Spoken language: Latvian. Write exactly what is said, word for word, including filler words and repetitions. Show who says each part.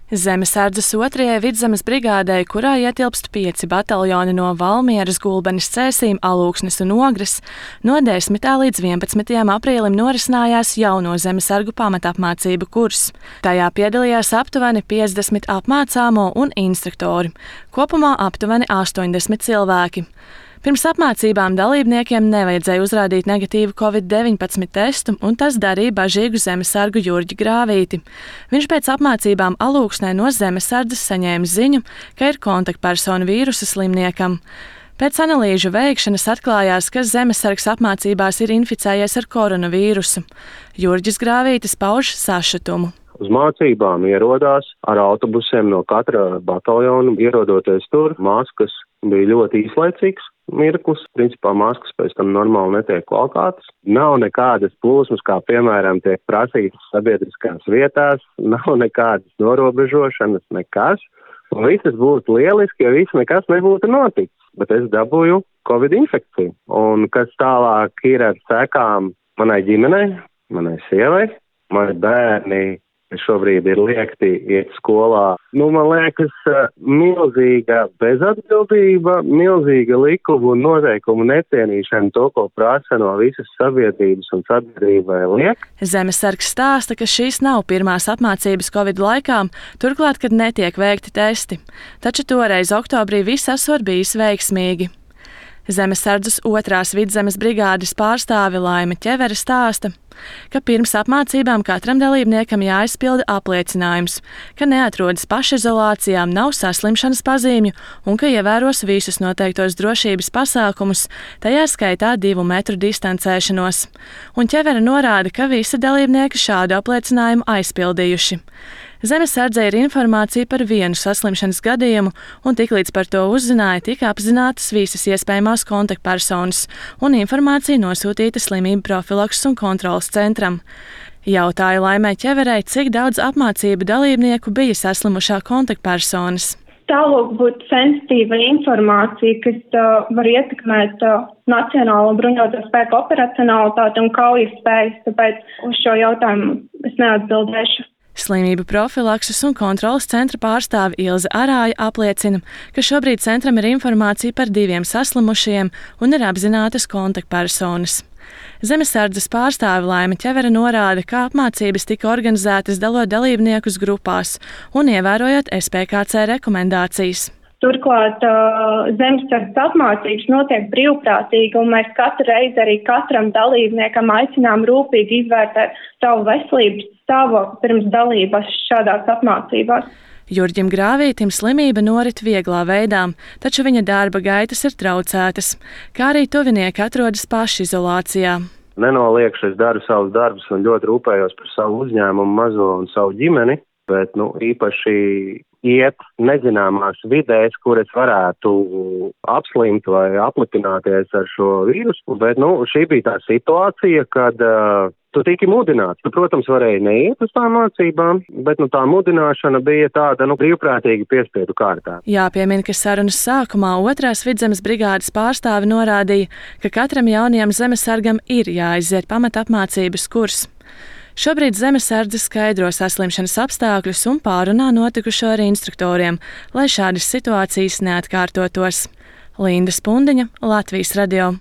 Speaker 1: Zemesardzes otrajai Vidzemes brigādei, kurā ietilpst pieci bataljoni no Valmieras, Gulbenes, Cēsīm, Alūksnes un Ogres, no desmitā līdz vienpadsmitajam aprīlim norisinājās jauno zemesargu pamatapmācību kurs. Tajā piedalījās aptuveni piecdesmit apmācāmo un instruktori, kopumā aptuveni astoņdesmit cilvēki. Pirms apmācībām dalībniekiem nevajadzēja uzrādīt negatīvu covid deviņpadsmit testu, un tas darīja bažīgu zemesargu Jurģi Grāvīti. Viņš pēc apmācībām Alūksnē no zemesardzes saņēma ziņu, ka ir kontaktpersona vīrusa slimniekam. Pēc analīžu veikšanas atklājās, ka zemesargs apmācībās ir inficējies ar koronavīrusu. Jurģis Grāvītis pauž sašutumu.
Speaker 2: Uz mācībām ierodās ar autobusiem no katra bataljona, ierodoties tur, maskas bija ļoti īslaicīgs mirklis. Principā maskas pēc tam normāli netiek valkātas. Nav nekādas plūsmas, kā piemēram tiek prasītas sabiedriskās vietās, nav nekādas norobežošanas, nekas. Un visas būtu lieliski, ja viss nekas nebūtu noticis. Bet es dabūju covid infekciju. Un kas tālāk ir ar sekām manai ģimenei, manai sievai, mani bērni šobrīd ir liekti iet skolā. Nu, man liekas, milzīga bezatbildība, milzīga likumu un noteikumu necienīšana, to, ko prasa no visas sabiedrības un sabiedrībai liek.
Speaker 1: Zemesargs stāsta, ka šīs nav pirmās apmācības Covid laikā, turklāt, kad netiek veikti testi. Taču toreiz oktobrī viss esot bijis veiksmīgi. Zemesardzes otrās Vidzemes brigādes pārstāve Laime Ķevere stāsta, ka pirms apmācībām katram dalībniekam jāizpilda apliecinājums, ka neatrodas pašizolācijā, nav saslimšanas pazīmju un ka ievēros visus noteiktos drošības pasākumus, tajā skaitā divu metru distancēšanos. Un Ķevere norāda, ka visi dalībnieki šādu apliecinājumu aizpildījuši. Zemesardzei ir informācija par vienu saslimšanas gadījumu, un tiklīdz par to uzzināja, tika apzinātas visas iespējamās kontaktpersonas, un informācija nosūtīta slimību profilakses un kontrolas centram. Jautāja Laimei Ķeverei, cik daudz apmācību dalībnieku bija saslimušā kontaktpersonas.
Speaker 3: Tālāk būtu sensitīva informācija, kas uh, var ietekmēt uh, nacionālo bruņoto spēku operacionalitāti un kaujas spējas, tāpēc uz šo jautājumu es neatbildēšu.
Speaker 1: Slimību profilakses un kontrolas centra pārstāve Ilze Arāja apliecina, ka šobrīd centram ir informācija par diviem saslimušajiem un ir apzinātas kontaktpersonas. Zemesardzes pārstāve Laime Ķevere norāda, ka apmācības tika organizētas dalot dalībniekus grupās un ievērojot S P K C rekomendācijas.
Speaker 3: Turklāt zemesardzes apmācības notiek brīvprātīgi, un mēs katru reizi arī katram dalībniekam aicinām rūpīgi izvērtēt savu veselības stāvokli pirms dalības šādās apmācībās.
Speaker 1: Jurģim Grāvītim slimība norit vieglā veidā, taču viņa darba gaitas ir traucētas, kā arī tuvinieki atrodas pašizolācijā.
Speaker 2: Nenoliekšu, es daru savus darbus un ļoti rūpējos par savu uzņēmumu, mazo un savu ģimeni, bet nu, īpaši iet nezināmās vidēs, kur es varētu apslimt vai aplipināties ar šo vīrusu. Bet nu, šī bija tā situācija, kad uh, tu tiki mudināts. Tu, protams, varēji neiet uz tām mācībām, bet nu, tā mudināšana bija tāda nu, brīvprātīgi piespiedu kārtā.
Speaker 1: Jāpiemina, ka sarunas sākumā otrās Vidzemes brigādes pārstāve norādīja, ka katram jaunajam zemesargam ir jāiziet pamatapmācības kurs. Šobrīd zemesardze skaidro saslimšanas apstākļus un pārunā notikušo ar instruktoriem, lai šādas situācijas neatkārtotos. Linda Spundiņa, Latvijas radio.